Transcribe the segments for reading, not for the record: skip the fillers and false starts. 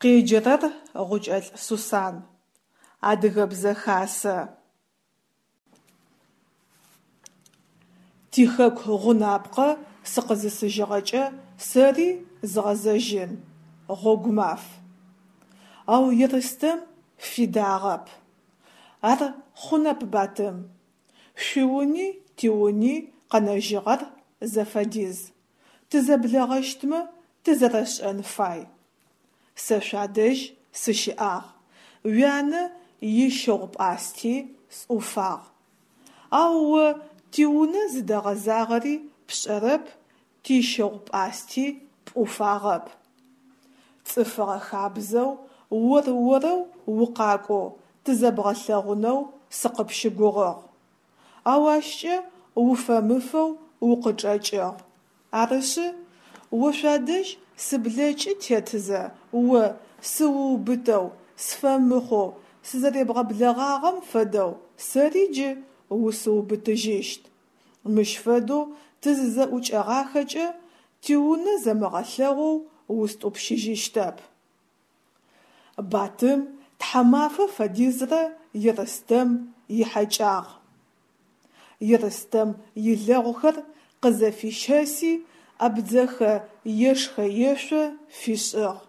Къеджэрэр Гъукӏэлӏ Сусан. Адыгэбзэ хасэ. Тихэку гъунапкъэ сыкъызысыжьыгъэкӏэ сэри згъэзэжьын, гъогумаф. Ау Ерстэм фидагъэп. Ар хъунэп, Батым. Шъуиуни тиуни къэнэжьыгъэр зэфэдиз. Тызэблэгъэщтмэ тызэрэшӏэн фай. Сэ шъуадэжь сыщыӏагъ, уянэ ищыгъу-пӏасти сӏуфагъ. Ау о тиунэ зыдэгъэзагъэри пшӏэрэп, тищыгъу-пӏасти пӏуфагъэп. Цӏыфыгъэ хабзэу ор-орэу укъакӏоу тызэбгъэлъэгъунэу сыкъыпщыгугъыгъ. Ау ащкӏэ уфэмыфэу укъычӏэкӏыгъ. Арышъы, о шъуадэжь сыблэкӏы тетызэ о сыуубытэу, сфэмыхъоу сызэребгъэблэгъагъэм фэдэу сэри джы усыубытыжьыщт. Мыщ фэдэу тызызэӏукӏэгъахэкӏэ, тиунэ зэмыгъэлъэгъоу устӏупщыжьыщтэп. Батым тхьамафэ фэдизрэ Ерстэм ихьэкӏагъ. Ерстэм илэгъухэр къызэфищэси абдзэхэ ешхэ-ешъо фишӏыгъ.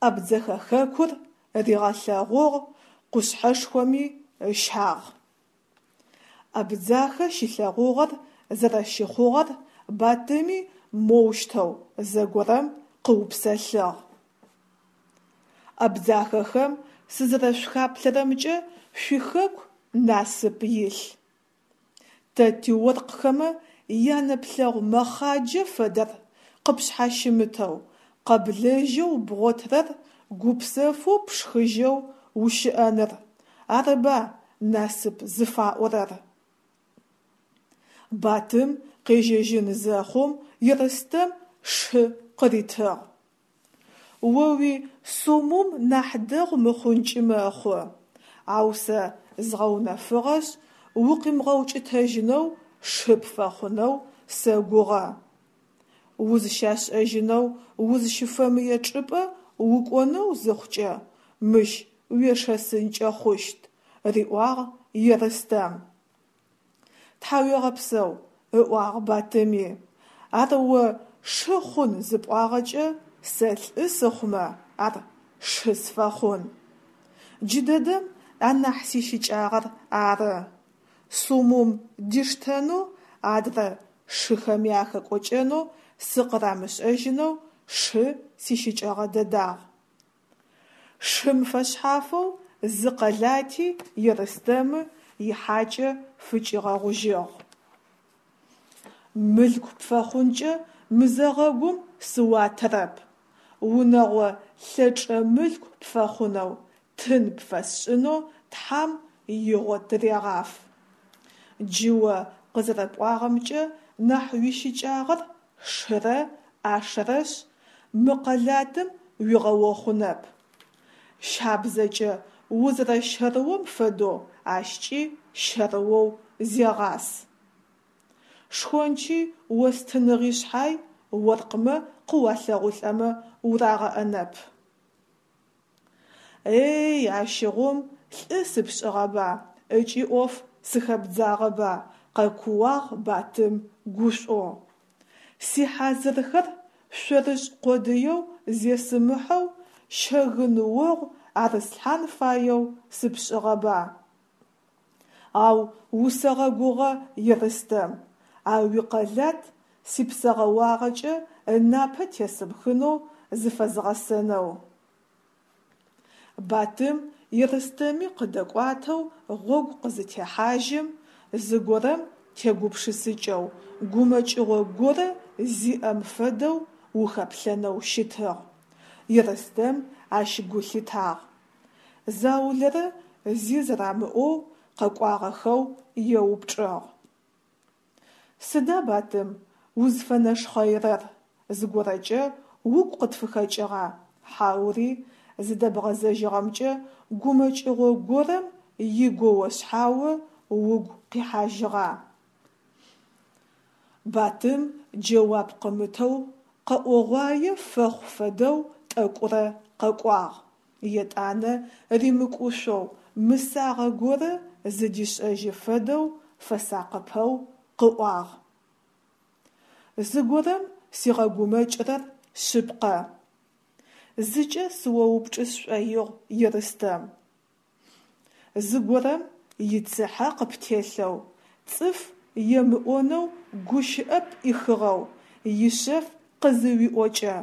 Абдзэхэ хэкур ригъэлъэгъугъ, къушъхьэшхоми ыщагъ. Абдзахэ щилъэгъугъэр зэрэщыхъугъэр Батыми моущтэу зэгорэм къыупсэлъыгъ. Абдзахэхэм сызэрэшъухаплъэрэмкӏэ шъуихэку насып илъ. Тэ тиоркъхэмэ янэплъэгъу мэхъаджэ фэдэр къыпшъхьащымытэу, къэблэжьэу бгъотырэр гупсэфэу пшхыжьэу ущыӏэныр, арыба насып зыфаӏорэр. Батым къежьэжьын зэхъум Ерстэм шы къыритыгъ. О уи Сумум нахь дэгъу мыхъункӏи мэхъу, ау сэ згъэунэфыгъэшъ, укъимыгъэукӏытэжьынэу шы пфэхъунэу сэгугъэ. Узыщашӏэжьынэу узыщыфэмые чӏыпӏэ укӏонэу зыхъукӏэ, мыщ уешэсынкӏэ хъущт, риӏуагъ Ерстэм. Тхьауегъэпсэу, ыӏуагъ Батыми, ар о шы хъун зыпӏуагъэкӏэ, сэ лӏы сыхъумэ, ар шы сфэхъун. Джыдэдэм анахь сищыкӏагъэр ары. Сумум диштэнэу, адрэ шыхэми ахэкӏокӏэнэу сыкъырамышӏэжьынэу шы сищыкӏэгъэ дэдагъ. Шым фэшъхьафэу зы къэлати Ерстэмы ихьакӏэ фыкӏигъэгъужьыгъ. Мылъку пфэхъункӏэ мызэгъэгум сыуатэрэп, унэгъо лъэчӏэ мылъку пфэхъунэу, тын пфэсшӏынэу Тхьам игъо тырегъаф. Джы о къызэрэпӏуагъэмкӏэ нахь уищыкӏагъэр шырэ ӏашэрэшъ, мы къэлатым уигъэохъунэп. Щабзэкӏэ узэрэщэрыом фэдэу ащкӏи щэрыоу зегъас. Шхончи остыныгъи шъхьай, оркъмэ къыуалъэгъулӏэмэ урагъэӏэнэп. Эй, ащыгъум лӏы сыпшӏыгъэба ыкӏи ӏоф сыхэбдзагъэба, къэкууагъ Батым гушӏоу. Сихьазырхэр шъорышӏ къодыеу зесымыхьэу щэгын огъу арыслъхьан фаеу сыпшӏыгъэба. Ау усэгъэгугъэ Ерстэм, а уикъэлат сипсэгъэуагъэкӏэ ынапэ тесымыхынэу зыфэзгъэсэнэу. Батым Ерстэми къыдэкӏуатэу гъогу къызытехьажьым, зыгорэм тегупшысыкӏэу, гумэкӏыгъо горэ зиӏэм фэдэу ухэплъэнэу щытыгъ. Ерстэм ащ гу лъитагъ. Заулэрэ зи зэрамыӏоу къэкӏуагъэхэу еупчӏыгъ. Сыда, Батым, узфэнэшхъэирэр, зыгорэкӏэ угу къытфыхэкӏыгъа, хьаури зыдэбгъэзэжьыгъэмкӏэ гумэкӏыгъо горэм игоошъхьао угу къихьажьыгъа? Батым джэуап къымытэу, къэӏогъуае фэхъу фэдэу тӏэкӏурэ къэкӏуагъ, етӏанэ римыкӏушъоу, мысагъэ горэ зыдишӏэжьы фэдэу фэсакъыпэу къыӏуагъ. Зыгорэм сигъэгумэкӏырэр шъыпкъэ. Зыкӏэ сыоупчӏы сшӏоигъу, Ерстэм. Зыгорэм ицыхьэ къыптелъэу, цӏыф емыӏонэу гущыӏэ пӏихыгъэу ишъэф къызыуиӏокӏэ,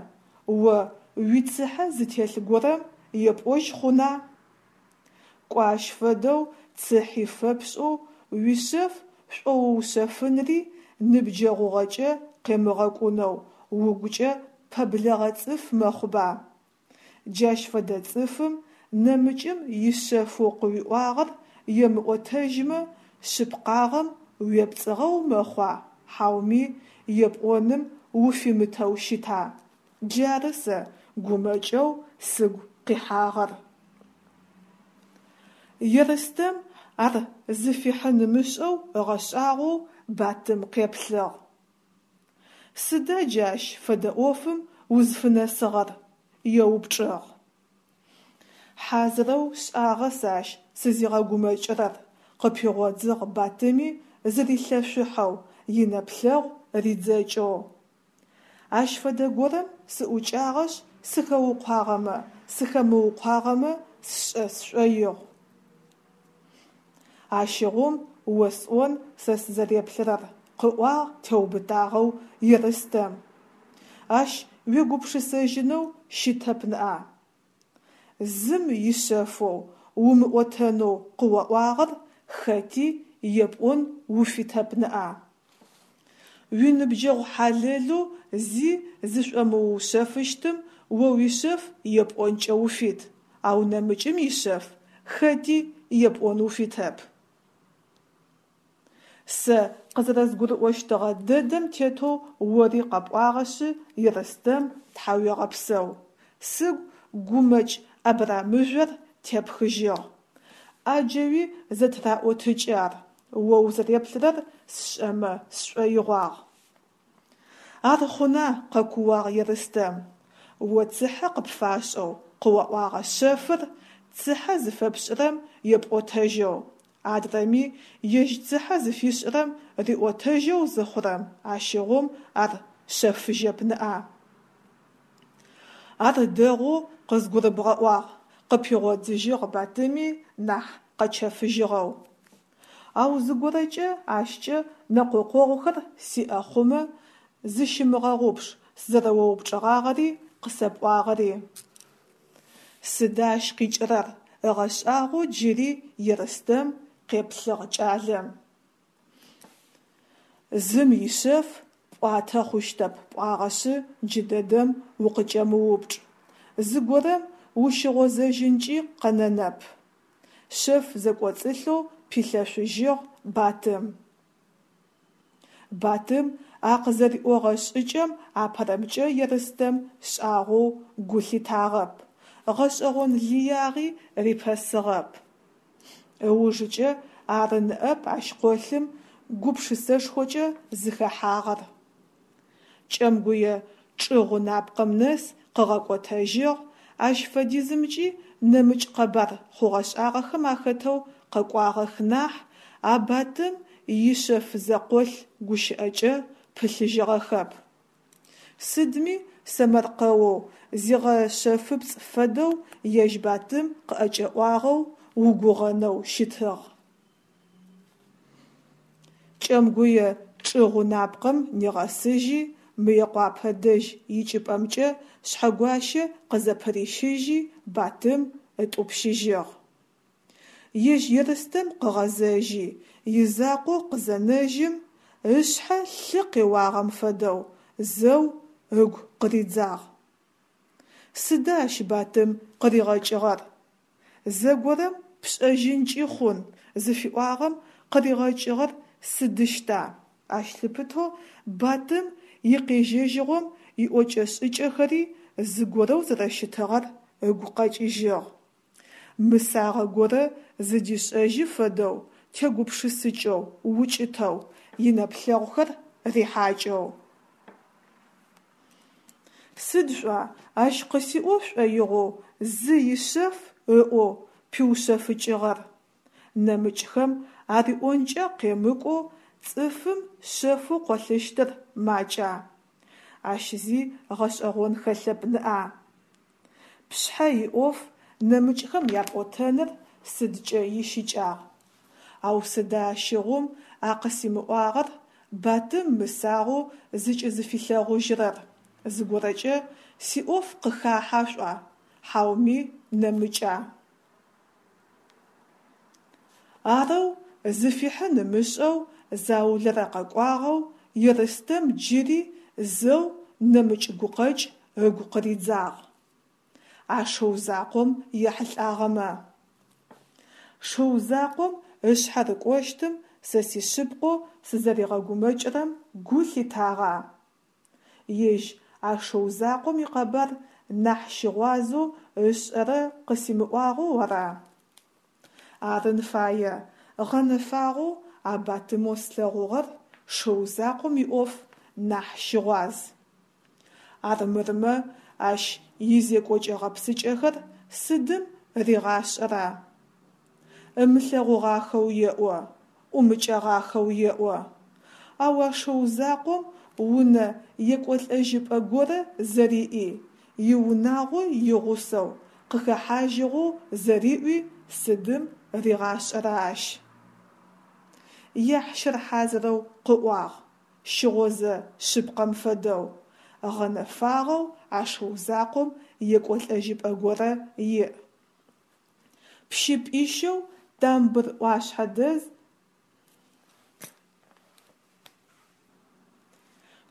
о уицыхьэ зытелъ горэм епӏожь хъуна? Кӏо ащ фэдэу цыхьи фэпшӏэу уишъэф шӏоуушъэфынри ныбджэгъугъэкӏэ къемыгъэкӏунэу угукӏэ пэблэгъэ цӏыф мэхъуба? Джащ фэдэ цӏыфым нэмыкӏым ишъэфэу къыуиӏуагъэр емыӏотэжьмэ, шъыпкъагъэм уепцӏыгъэу мэхъуа, хьауми епӏоным уфимытэу щыта? Джары сэ гумэкӏэу сыгу къихьагъэр. Ерстэм ар зыфихьын ымышӏэу ыгъэшӏагъоу Батым къеплъыгъ. Сыда джы ащ фэдэ ӏофым узфынэсыгъэр? еупчӏыгъ. Хьазырэу шӏагъэ сэ ащ сызигъэгумэкӏырэр, къыпигъодзыгъ Батыми зырилъэшъухьэу, инэплъэгъу ридзэкӏэу. Ащ фэдэ горэм сыӏукӏагъэшъ, сыхэукъуагъэмэ, сыхэмыукъуагъэмэ сшӏэ сшӏоигъу. Ащыгъум осӏон сэ сызэреплъырэр, къыӏуагъ теубытагъэу Ерстэм. Ащ уегупшысэжьынэу щытэп ныӏа. Зым ишъэфэу, умыӏотэнэу къыуаӏуагъэр хэти епӏон уфитэп ныӏа. Уиныбджэгъу хьалэлэу зи зышӏомыушъэфыщтым о уишъэф епӏонкӏэ уфит, ау нэмыкӏым ишъэф хэти епӏон уфитэп. Сэ къызэрэзгурыӏощтыгъэ дэдэм тетэу ори къэпӏуагъэшъы, Ерстэм, тхьауегъэпсэу. Сыгу гумэкӏ абрамыжъор тепхыжьыгъ. Ӏаджэуи зэтыраӏотыкӏы ар, о узэреплърэр сшӏэмэ сшӏоигъуагъ. Ар хъуна, къэкууагъ Ерстэм. О цыхьэ къыпфашӏэу къыуаӏуагъэ шъэфыр цыхьэ зыфэпшӏырэм епӏотэжьэу, адрэми ежь цыхьэ зыфишӏырэм риӏотэжьэу зыхъурэм, ащыгъум ар шъэфыжьэп ныӏа. Ар дэгъоу къызгурыбгъэӏуагъ, къыпигъодзыжьыгъ Батыми нахь къэчэфыжьыгъэу. Ау зыгорэкӏэ ащкӏэ нэкъокъогъухэр сиӏэ хъумэ, зыщымыгъэгъупш сызэрэоупчӏыгъагъэри къысэпӏуагъэри. Сыда ащ къикӏырэр? ыгъэшӏагъоу джыри Ерстэм къеплъыгъ кӏалэм. Зым ишъэф пӏуатэ хъущтэп пӏуагъэшъы, джыдэдэм укъыкӏэмыупчӏ. Зыгорэм ущыгъозэжьынкӏи къэнэнэп. Шъэф зэкӏоцӏылъэу пилъэшъужьыгъ Батым. Батым а къызэриӏогъэ шӏыкӏэм апэрэмкӏэ Ерстэм шӏагъоу гу лъитагъэп, гъэшӏэгъон лыягъи рипэсыгъэп. Ыужыкӏэ ары ныӏэп ащ къолъым гупшысэшхокӏэ зыхэхьагъэр. Кӏэмгуе чӏы гъунапкъэм нэс къыгъэкӏотэжьыгъ, ащ фэдизымкӏи нэмыкӏ къэбар хъугъэ-шӏагъэхэм ахэтэу къэкӏуагъэх нахь, а Батым ишъэф зэкъолъ гущыӏэкӏэ пылъыжьыгъэхэп. Сыдми сэмэркъэоу, зигъэшъэфыпцӏ фэдэу ежь Батым къыӏэкӏэӏуагъэу угугъэнэу щытыгъ. Кӏэмгуе чӏы гъунапкъэм нигъэсыжьи, Мыекъуапэ дэжь икӏыпӏэмкӏэ Шъхьэгуащэ къызэпырищыжьи, Батым ытӏупщыжьыгъ. Ежь Ерстэм къыгъэзэжьи, изакъоу къызэнэжьым, ышъхьэ лъы къеуагъэм фэдэу, зэу ыгу къыридзагъ. Сыда ащ Батым къыригъэкӏыгъэр? Зэгорэм пшӏэжьынкӏи хъун зыфиӏуагъэм къыригъэкӏыгъэр сыдыщта? Ащ лъыпытэу Батым икъежьэжьыгъом иӏокӏэ-шӏыкӏэхэри зыгорэу зэрэщытыгъэр ыгу къэкӏыжьыгъ. Мысагъэ горэ зыдишӏэжьы фэдэу тегупшысыкӏэу, укӏытэу, инэплъэгъухэр рихьакӏэу. Сыд шъуӏуа ащ къысиӏо шӏоигъоу зы ишъэф ыӏоу пиушъэфыкӏыгъэр? Нэмыкӏхэм ариӏонкӏэ къемыкӏоу цӏыфым шъэфэу къолъыщтыр макӏа? Ащ зи гъэшӏэгъон хэлъэп ныӏа? Пшъхьэ иӏоф нэмыкӏхэм япӏотэныр сыдкӏэ ищыкӏагъ? Ау сыда ащыгъум а къысимыӏуагъэр Батым мысагъэу зыкӏызыфилъэгъужьырэр, зыгорэкӏэ сиӏоф къыхахьа шъуӏуа, хьауми нэмыкӏа? Арэу зыфихьын ымышӏэу заулэрэ къэкӏуагъэу Ерстэм джыри зэу нэмыкӏ гукъэкӏ ыгу къыридзагъ. А шыу закъом ехьылӏагъэмэ. Шыу закъом ышъхьэ рыкӏощтым сэ сишъыпкъэу сызэригъэгумэкӏырэм гу лъитагъа? Ежь а шыу закъом икъэбар нахь щыгъуазэу ышӏэрэ къысимыӏуагъэу ара? Арын фае, гъэнэфагъэу а Батымэу слъэгъугъэр шыу закъом иӏоф нахь щыгъуаз. Армырмэ, ащ изекӏокӏэ-гъэпсыкӏэхэр сыдым ригъашӏэра? Ымылъэгъугъахэу еӏо, ӏумыкӏэгъахэу еӏо. Ау а шыу закъом унэ екӏолӏэжьыпӏэ горэ зэриӏи, иунагъо игъусэу къыхэхьажьыгъэу зэриӏуи сыдым ригъашӏэра ащ? Яхьщыр хьазырэу къыӏуагъ, щыгъозэ шъыпкъэм фэдэу, гъэнэфагъэу а шыу закъом екӏолӏэжьыпӏэ горэ иӏ. Пщыпӏищэу Тамбыр ӏуашъхьэ дэз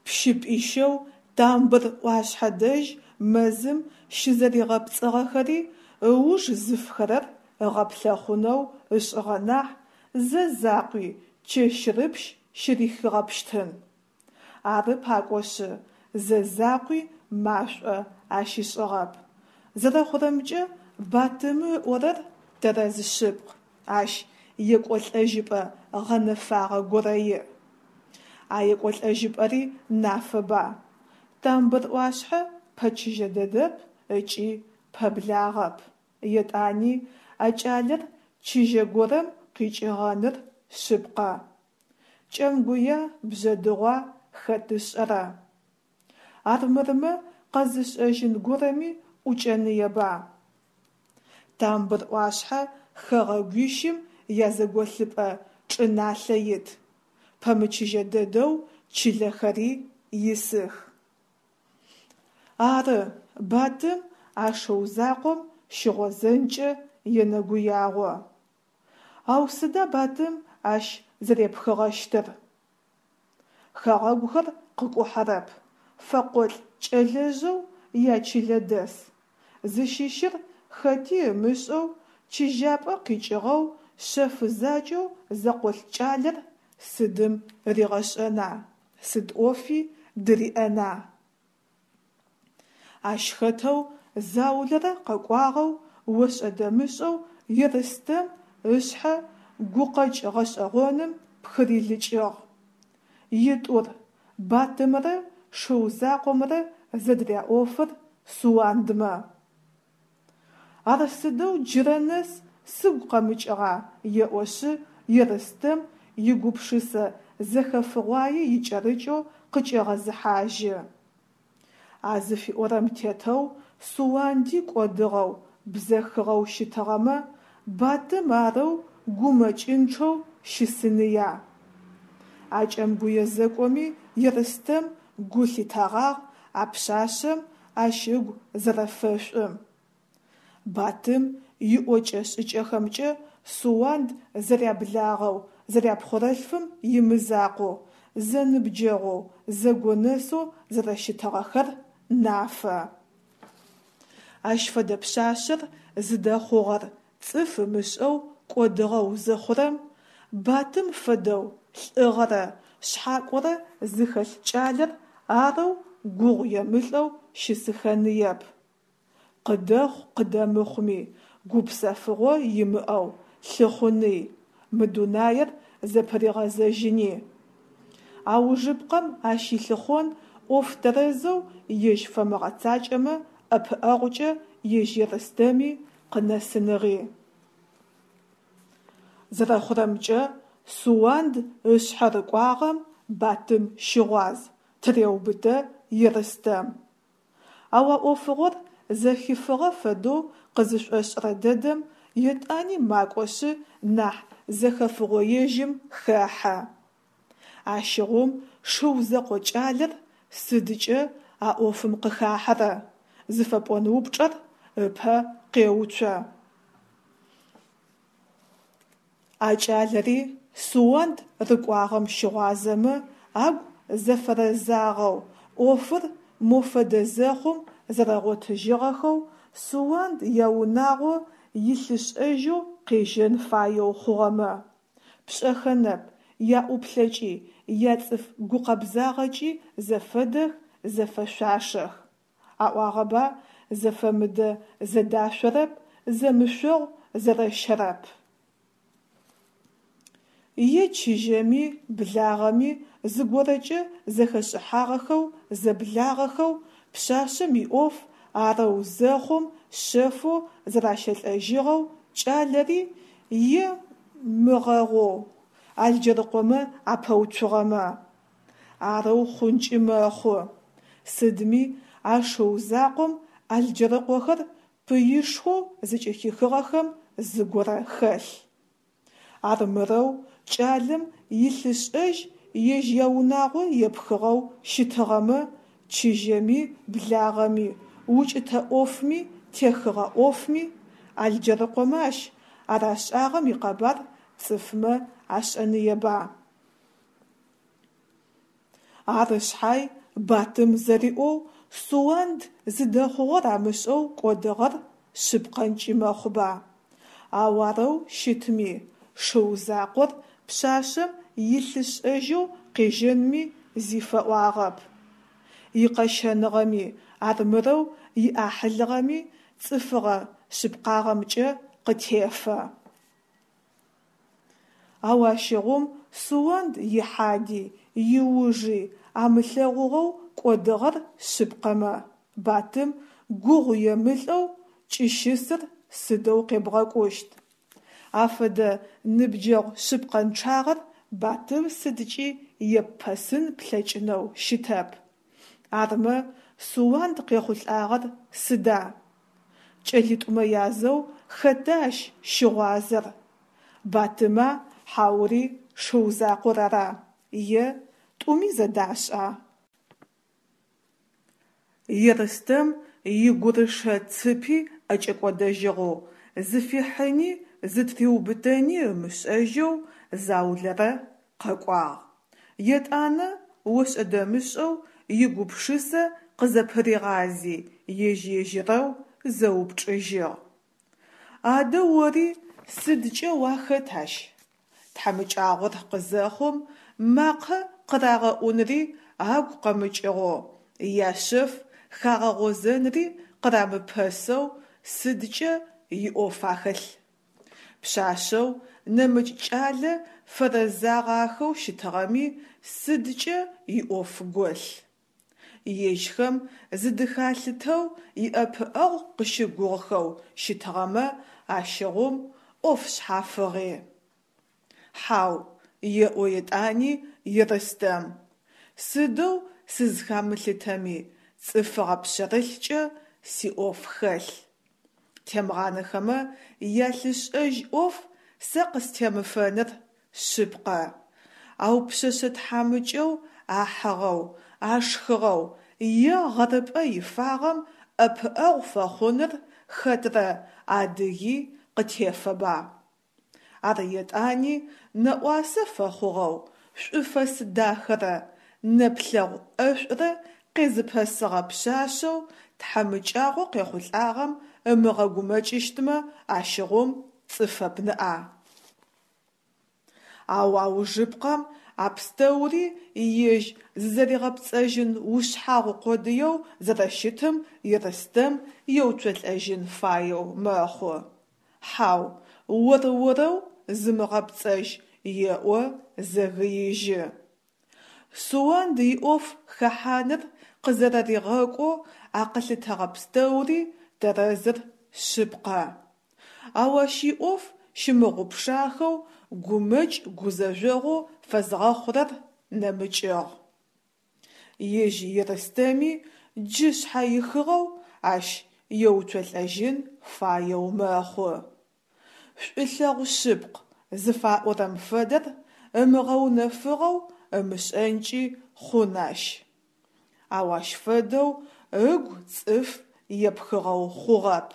Пщыпӏищэу Тамбыр ӏуашъхьэ дэжь мэзым щызэригъэпцӏыгъэхэри ыуж зыфхэрэр ыгъэплъэхъунэу ышӏыгъэ нахь, зэ закъуи чэщрыпщ щырихыгъэпщтын. Ары пакӏошъы, зэ закъуи машӏо ащишӏыгъэп. Зэрэхъурэмкӏэ, Батымы ыӏорэр тэрэз шъыпкъ, ащ екӏолӏэжьыпӏэ гъэнэфагъэ горэ иӏ. А екӏолӏэжьыпӏэри нафэба? Тамбыр ӏуашъхьэ пэчыжьэ дэдэп ыкӏи пэблагъэп. Етӏани а кӏалэр чыжьэ горэм къикӏыгъэныр шъыпкъэ. Кӏэмгуя, Бжъэдыгъуа хэт ышӏэрэ? Армырмэ къэзышӏэжьын горэми ӏукӏэныеба? Тамбыр ӏуашъхьэ хэгъэгуищым язэголъыпӏэ чӏыналъэ ит, пэмычыжьэ дэдэу чылэхэри исых. Ары, Батым а шыу закъом щыгъозэнкӏэ енэгуягъо. Ау сыда Батым ащ зэрепхыгъэщтыр? Хэгъэгухэр къыкӏухьэрэп, фэкъолӏ кӏэлэжъэу ячылэ дэс, зыщыщыр хэти ымышӏэу, чыжьапӏэ къикӏыгъэу шъэфы закӏэу зэкъолъ кӏалэр сыдым ригъэшӏэна, сыд ӏофи дыриӏэна? Ащ хэтэу заулэрэ къэкӏуагъэу ошӏэ-дэмышӏэу Ерстэм ышъхьэ гукъэкӏ гъэшӏэгъоным пхырилыкӏыгъ. Итӏур, Батымрэ шыу закъомрэ зэдыряӏофыр Суандмэ. Ар сыдэу джырэ нэс сыгу къэмыкӏыгъа еӏошъы Ерстэм игупшысэ зэхэфыгъуае икӏэрыкӏэу къыкӏегъэзыхьажьы. А зыфиӏорэм тетэу Суанди кӏодыгъэу, бзэхыгъэу щытыгъэмэ, Батым арэу гумэкӏынчъэу щысыныя? А Кӏэмгуе зэкӏоми Ерстэм гу лъитэгъагъ а пшъашъэм ащ ыгу зэрэфэшӏум. Батым иӏокӏэ-шӏыкӏэхэмкӏэ Суанд зэряблагъэу, зэряпхъорэлъфым имызакъоу, зэныбджэгъоу, зэгонэсэу зэрэщытыгъэхэр нафэ. Ащ фэдэ пшъашъэр зыдэхъугъэр цӏыф ымышӏэу кӏодыгъэу зыхъурэм, Батым фэдэу лӏыгъэрэ шъхьакӏорэ зыхэлъ кӏалэр арэу гугъу емылӏэу щысыхэныеп. Къыдэхъу-къыдэмыхъуми, гупсэфыгъо имыӏэу лъыхъуный, мы дунаир зэпыригъэзэжьыни. Аужыпкъэм ащ илъыхъон ӏоф тэрэзэу ежь фэмыгъэцакӏэмэ ӏэпыӏэгъукӏэ ежь Ерстэми къынэсыныгъи. Зэрэхъурэмкӏэ, Суанд ышъхьэ рыкӏуагъэм Батым щыгъуаз, тыреубытэ Ерстэм. Ау а ӏофыгъор зэхифыгъэ фэдэу къызышӏошӏырэ дэдэм етӏани макӏошъы нахь зэхэфыгъоежьым хэхьэ. Ащыгъум шыу зэкъо кӏалэр сыдкӏэ а ӏофым къыхахьэрэ? зыфэпӏон упчӏэр ыпэ къеуцо. А кӏалэри Суанд рыкӏуагъэм щыгъуазэмэ, агу зэфэрэзагъэу, ӏофыр мо фэдэ зэхъум зэрэгъотыжьыгъэхэу, Суанд яунагъо илъышӏэжьэу къежьэн фаеу хъугъэмэ. Пшӏэхэнэп, яӏуплъэкӏи, яцӏыф гукъэбзагъэкӏи зэфэдэх, зэфэшъуашэх. Аӏуагъэба, зэфэмыдэ зэдашъорэп, зэмышъогъу зэрэщэрэп. Е чыжьэми, благъэми зыгорэкӏэ зэхэшӏыхьагъэхэу, зэблагъэхэу, пшъашъэм иӏоф арэу зэхъум шъэфэу зэращэлӏэжьыгъэу кӏалэри е мыгъэгъоу Алджэрыкъомэ апэуцугъэмэ. Арэу хъункӏи мэхъу. Сыдми, а шыу закъом Алджэрыкъохэр пыишхоу зыкӏыхихыгъэхэм зыгорэ хэлъ. Армырэу кӏалэм илъышӏэжь ежь яунагъо епхыгъэу щытыгъэмэ, чыжьэми благъэми, укӏытэ ӏофми техыгъэ ӏофми, Алджэрыкъомэ ащ арашӏагъэм икъэбар цӏыфмэ ашӏэныеба? Ары шъхьай, Батым зэриӏоу, Суанд зыдэхъугъэр амышӏэу кӏодыгъэр шъыпкъэнкӏи мэхъуба. Ау арэу щытми, шыу закъор пшъашъэм илъышӏэжьэу къежьэнми зи фэӏуагъэп. Икъэщэныгъэми, армырэу иӏахьылыгъэми цӏыфыгъэ шъыпкъагъэмкӏэ къытефэ. Ау ащыгъум Суанд ихьади, иужи амылъэгъугъэу кӏодыгъэр шъыпкъэмэ, Батым гугъу емылӏэу кӏыщысыр сыдэу къебгъэкӏущт? Афэдэ ныбджэгъу шъыпкъэнчъагъэр Батым сыдкӏи еппэсын плъэкӏынэу щытэп. Армэ, Суанд къехъулӏагъэр сыда? Кӏэлитӏумэ язэу хэта ащ щыгъуазэр? Батыма хьаури шыу закъор ара, е тӏуми зэдашӏа? Ерстэм игурышэ цыпи ӏэкӏэкӏодэжьыгъэу, зыфихьыни зытыриубытэни ымышӏэжьэу заулэрэ къэкӏуагъ. Етӏанэ ошӏэ-дэмышӏэу игупшысэ къызэпыригъази, ежь-ежьырэу зэупчӏыжьыгъ. Адэ ори сыдкӏэ уахэт ащ? Тхьамыкӏагъор къызэхъум, макъэ къырагъэӏунри агу къэмыкӏыгъэу, яшъэф хагъэгъозэнри къырамыпэсэу сыдкӏэ иӏоф ахэлъ? Пшъашъэу нэмыкӏ кӏалэ фэрэзагъахэу щытыгъэми сыдкӏэ иӏоф голъ? Ежьхэм зыдыхалъытэу иӏэпыӏэгъу къыщыгугъхэу щытыгъэмэ, ащыгъум ӏоф шъхьафыгъи. Хьау, еӏо етӏани Ерстэм. Сыдэу сызхамылъытэми, цӏыфыгъэ пшъэрылъкӏэ сиӏоф хэлъ. Темгъанэхэмэ ялъышӏэжь ӏоф сэ къыстемыфэныр шъыпкъэ. Ау пшъэшъэ тхьамыкӏэу ахьыгъэу, ашхыгъэу е гъэрыпӏэ ифагъэм ӏэпыӏэгъу фэхъуныр хэтрэ адыги къытефэба? Ар етӏани нэӏуасэ фэхъугъэу, шӏуфэс дахэрэ нэплъэгъу ӏэшӏурэ къезыпэсыгъэ пшъашъэу тхьамыкӏагъо къехъулӏагъэм ымыгъэгумэкӏыщтмэ, ащыгъум цӏыфэп ныӏа. Ау аужыпкъэм а пстэури ежь зызэригъэпцӏэжьын ушъхьагъу къодыеу зэрэщытым Ерстэм еуцолӏэжьын фаеу мэхъу. Хьау, ор-орэу зымыгъэпцӏэжь, еӏо, зэгыижьы. Суанд иӏоф хэхьаныр къызэрэригъэкӏоу а къылъытэгъэ пстэури тэрэзыр шъыпкъэ. Ау ащ иӏоф щымыгъупшахэу гумэкӏ-гузэжъогъу фэзгъэхъурэр нэмыкӏыгъ. Ежь Ерстэми джы шъхьэихыгъэу ащ еуцолӏэжьын фаеу мэхъу. Шӏулъэгъу шъыпкъ зыфаӏорэм фэдэр ымыгъэунэфыгъэу ымышӏэнкӏи хъун ащ. Ау ащ фэдэу ыгу цӏыф епхыгъэу хъугъэп.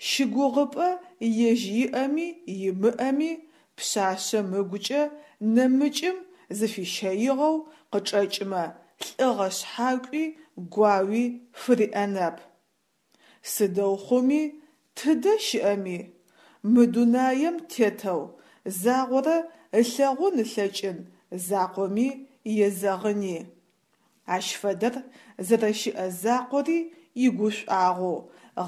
Щыгугъыпӏэ ежь иӏэми имыӏэми пшъашъэм ыгукӏэ нэмыкӏым зыфищэигъэу къычӏэкӏмэ лӏыгъэ шъхьакӏуи гуауи фыриӏэнэп. Сыдэу хъуми, тыдэ щыӏэми, мы дунаем тетэу загъорэ ылъэгъун ылъэкӏын закъоми езэгъыни. Ащ фэдэр зэрэщыӏэ закъори игушӏуагъоу,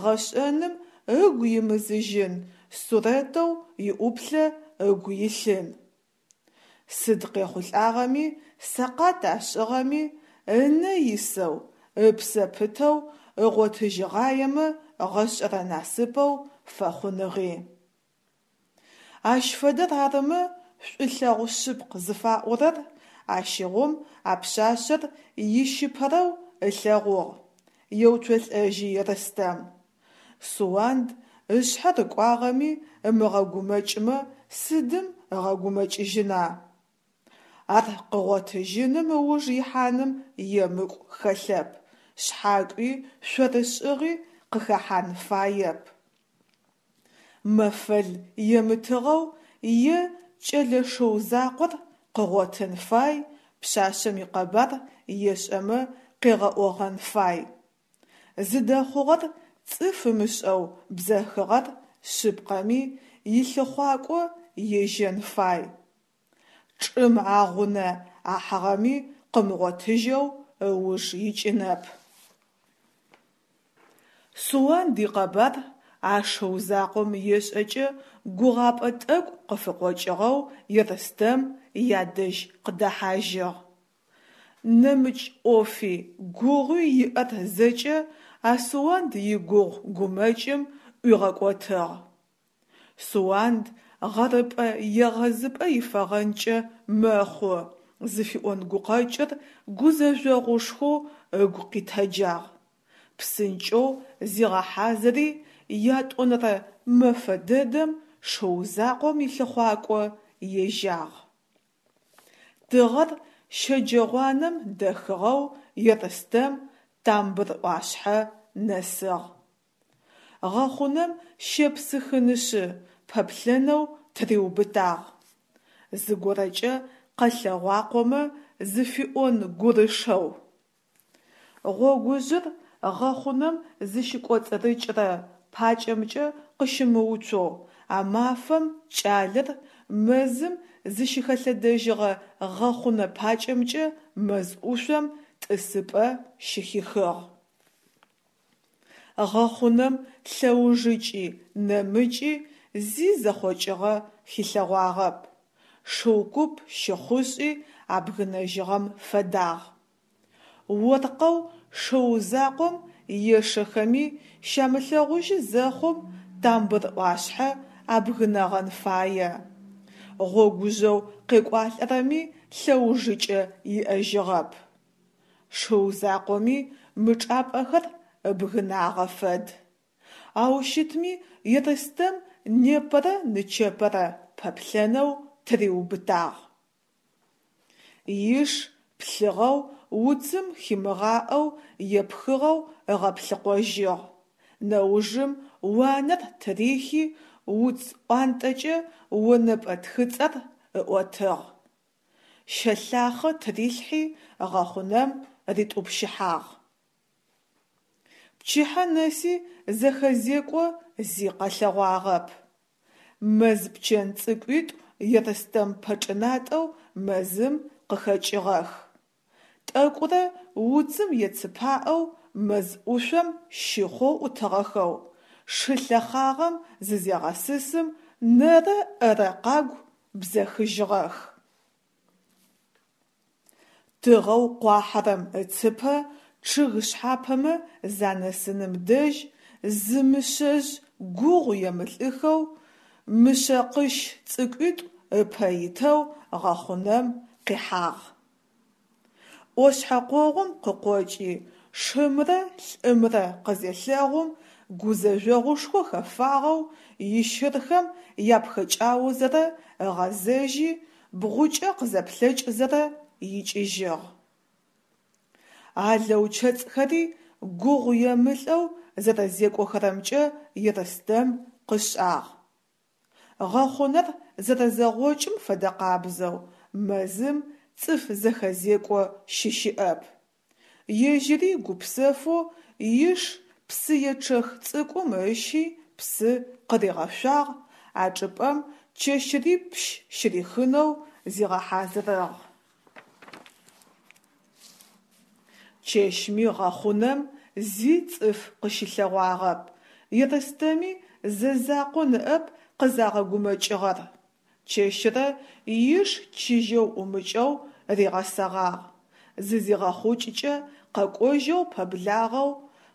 гъэшӏэным ыгу имызыжьын сурэтэу иӏуплъэ ыгу илъын. Сыд къехъулӏагъэми, сэкъат ашӏыгъэми, ынэ исэу, ыпсэ пытэу ыгъотыжьыгъаемэ гъэшӏэрэ насыпэу фэхъуныгъи. Ащ фэдэр арымэ шӏулъэгъу шъыпкъ зыфаӏорэр, ащыгъум а пшъашъэр ищыпэрэу ылъэгъугъ, еуцолӏэжьы Ерстэм. Суанд ышъхьэ рыкӏуагъэми ымыгъэгумэкӏымэ сыдым ыгъэгумэкӏыжьына? Ар къыгъотыжьыным ыуж ихьаным емыкӏу хэлъэп, шъхьакӏуи шъорышӏыгъи къыхэхьан фаеп. Мэфэл емытыгъэу е кӏэлэ шыу закъор къыгъотын фай, пшъашъэм икъэбар ешӏэмэ къегъэӏогъэн фай. Зыдэхъугъэр цӏыф ымышӏэу бзэхыгъэр шъыпкъэми илъыхъуакӏо ежьэн фай. Чӏым агъунэ ахьыгъэми къымыгъотыжьэу ыуж икӏынэп. Суанд икъэбар а шыу закъом ешӏэкӏэ гугъапӏэ тӏэкӏу къыфыкъокӏыгъэу Ерстэм ядэжь къыдэхьажьыгъ. Нэмыкӏ ӏофи, гугъуи иӏэр зэкӏэ а Суанд игугъу гумэкӏым ӏуигъэкӏотыгъ. Суанд гъэрыпӏэ-егъэзыпӏэ ифэгъэнкӏэ мэхъу зыфиӏон гукъэкӏыр гузэжъогъушхоу ыгу къитэджагъ. Псынкӏэу зигъэхьазыри ятӏонэрэ мэфэ дэдэм шыу закъом илъыхъуакӏо ежьагъ. Тыгъэр щэджэгъуанэм дэхыгъэу Ерстэм Тамбыр ӏуашъхьэ нэсыгъ. Гъэхъунэм щепсыхынышъы пэплъэнэу тыриубытагъ. Зыгорэкӏэ къэлъэгъуакъомэ зыфиӏон гурышэу. Гъогужъыр гъэхъунэм зыщыкӏоцӏырыкӏырэ пакӏэмкӏэ къыщымыуцоу а мафэм кӏалэр мэзым зыщыхэлъэдэжьыгъэ гъэхъунэ пакӏэмкӏэ мэз ӏушъом тӏысыпӏэ щыхихыгъ. Гъэхъунэм лъэужыкӏи нэмыкӏи зи зэхъокӏыгъэ хилъэгъуагъэп, шыу куп щыхъушӏи абгынэжьыгъэм фэдагъ. Оркъэу шыу закъом ешэхэми щамылъэгъужьы зэхъум Тамбыр ӏуашъхьэ абгынэгъэн фае. Гъогужъэу къекӏуалӏэрэми лъэужыкӏэ иӏэжьыгъэп. Шыу закъоми мы чӏапӏэхэр ыбгынагъэ фэд. Ау щытми Ерстэм непэрэ нычэпэрэ пэплъэнэу тыриубытагъ. Иш плъыгъэу уцым химыгъаӏэу епхыгъэу ыгъэплъыкъожьыгъ. Нэужым уанэр тырихи уц ӏуантӏэкӏэ онэпӏэ тхыцӏэр ыӏотыгъ. Щэлъахъэ тырилъхьи гъэхъунэм ритӏупщыхьагъ. Пчыхьэ нэси зэхэзекӏо зи къэлъэгъуагъэп. Мэз пчэн цӏыкӏуитӏу Ерстэм пэчӏынатӏэу мэзым къыхэкӏыгъэх. Тӏэкӏурэ уцым ецыпаӏэу мэз ӏушъом щыхъоу ӏутыгъэхэу, шы лъэхъагъэм зызегъэсысым нэрэ-ӏэрэ къагу бзэхыжьыгъэх. Тыгъэу къуахьэрэм ыцыпэ Чъыг шъхьапэмэ занэсыным дэжь зы мышъэжъ гугъу емылӏыхэу, мышъэкъыщ цӏыкӏуитӏу ыпэ итэу гъэхъунэм къихьагъ. ӏошъхьэ къогъум къыкъокӏи, шымрэ лӏымрэ къызелъэгъум, гузэжъогъушхо хэфагъэу, ищырхэм япхэкӏаозэрэ ыгъэзэжьи, бгъукӏэ къызэплъэкӏзэрэ икӏыжьыгъ. Алэу чэцӏхэри гугъу емылӏэу зэрэзекӏохэрэмкӏэ Ерстэм къышӏагъ. Гъэхъунэр зэрэзэгъокӏым фэдэкъабзэу мэзым цӏыф зэхэзекӏо щыщыӏэп. Ежьыри гупсэфэу иш псыечъэх цӏыкӏум ыщи псы къыригъэшъуагъ, а чӏыпӏэм чэщрипщ щырихынэу зигъэхьазырыгъ. Чэщми гъэхъунэм зи цӏыф къыщылъэгъуагъэп, Ерстэми зэзакъо ныӏэп къызагъэгумэкӏыгъэр. Чэщырэ иш чыжьэу ӏумыкӏэу ригъэсэгъагъ, зызигъэхъукӏыкӏэ къэкӏожьэу пэблагъэу,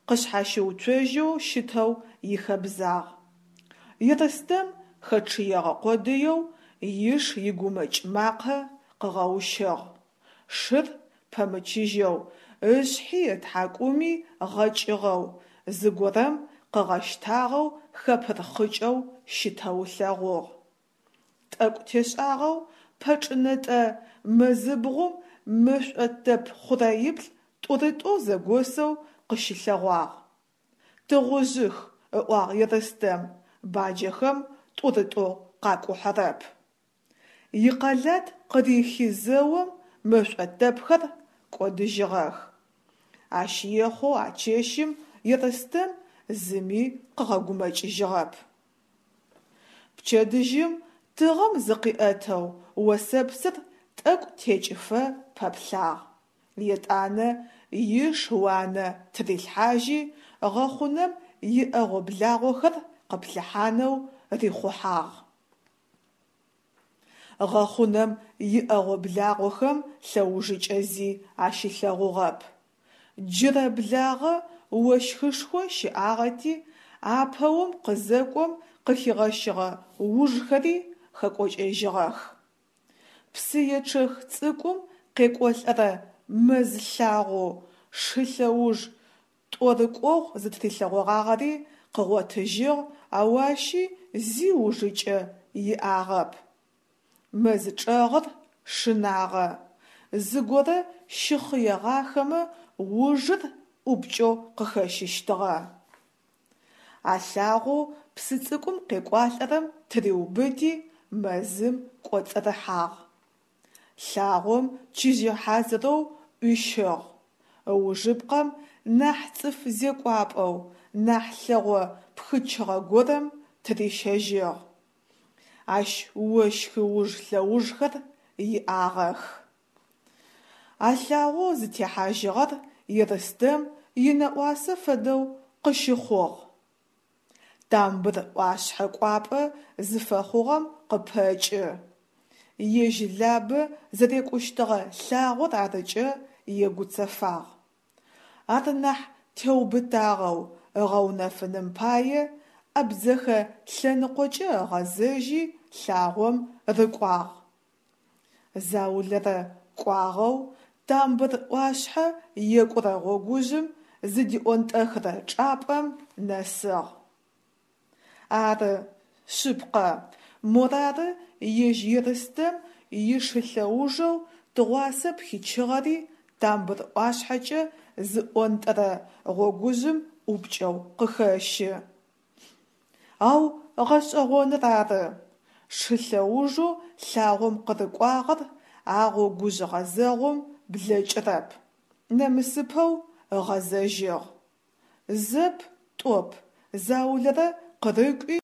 къышъхьащыуцожьэу щытэу ихэбзагъ. Ерстэм хэчъыегъэ къодыеу иш игумэкӏ макъэ къыгъэущыгъ. Шыр пэмычыжьэу, ышъхьи ытхьакӏуми гъэкӏыгъэу, зыгорэм къыгъэщтагъэу хэпырхъыкӏэу щытэу ылъэгъугъ. Тӏэкӏу тешӏагъэу пэчӏынэтӏэ мэзыбгъум мэшӏо тэп хъурэиплӏ тӏурытӏоу зэгосэу къыщылъэгъуагъ. Тыгъужъых, ыӏуагъ Ерстэм, баджэхэм тӏурытӏоу къакӏухьэрэп. Икъэлат къырихи зэом мэшӏо тэпхэр кӏодыжьыгъэх. Ащ ехъоу а чэщым Ерстэм зыми къыгъэгумэкӏыжьыгъэп. Пчэдыжьым тыгъэм зыкъиӏэтэу осэпсыр тӏэкӏу текӏыфэ пэплъагъ. Етӏанэ иш уанэ тырилъхьажьи, гъэхъунэм иӏэгъо-благъохэр къыплъыхьанэу рихъухьагъ. Гъэхъунэм иӏэгъо-благъохэм лъэужыкӏэ зи ащилъэгъугъэп. Джырэблагъэ ощхышхо щыӏагъэти, апэ ом къызэкӏом къыхигъэщыгъэ ужхэри хэкӏокӏэжьыгъэх. Псыечъэх цӏыкӏум къекӏолӏэрэ мэз лъагъоу шы лъэуж тӏорыкӏогъу зытырилъэгъогъагъэри къыгъотыжьыгъ, ау ащи зи ужыкӏэ иӏагъэп. Мэз чӏэгъыр шынагъэ, зыгорэ щыхъыегъахэмэ ужыр ӏупкӏэу къыхэщыщтыгъэ. А лъагъоу псы цӏыкӏум къекӏуалӏэрэм тыриубыти, мэзым кӏоцӏырыхьагъ. Лъагъом чыжьэ хьазырэу ӏуищыгъ. Ыужыпкъэм нахь цӏыф зекӏуапӏэу, нахь лъэгъо пхычыгъэ горэм тырищэжьыгъ. Ащ ощхы уж лъэужхэр иӏагъэх. А лъагъоу зытехьажьыгъэр Ерстэм инэӏуасэ фэдэу къыщыхъугъ. Тамбыр ӏуашъхьэ кӏуапӏэ зыфэхъугъэм къыпэкӏы. Ежь Лабэ зэрекӏущтыгъэ лъагъор арыкӏэ егуцэфагъ. Ар нахь теубытагъэу ыгъэунэфыным пае Абдзэхэ лъэныкъокӏэ ыгъэзэжьи лъагъом рыкӏуагъ. Заулэрэ кӏуагъэу Тамбыр ӏуашъхьэ екӏурэ гъогужъым зыдиӏонтӏэхырэ чӏапӏэм нэсыгъ. Ары, шъыпкъэ, морары ежь Ерстэм ишылъэужэу тыгъуасэ пхичыгъэри Тамбыр ӏуашъхьэкӏэ зыӏонтӏэрэ гъогужъым ӏупкӏэу къыхэщы. Ау гъэшӏэгъоныр ары, шы лъэужэу лъагъом къырыкӏуагъэр а гъогужъ гъэзэгъум блэкӏырэп, нэмысыпэу ыгъэзэжьыгъ. Зэп, тӏоп, заулэрэ къырыкӏуи.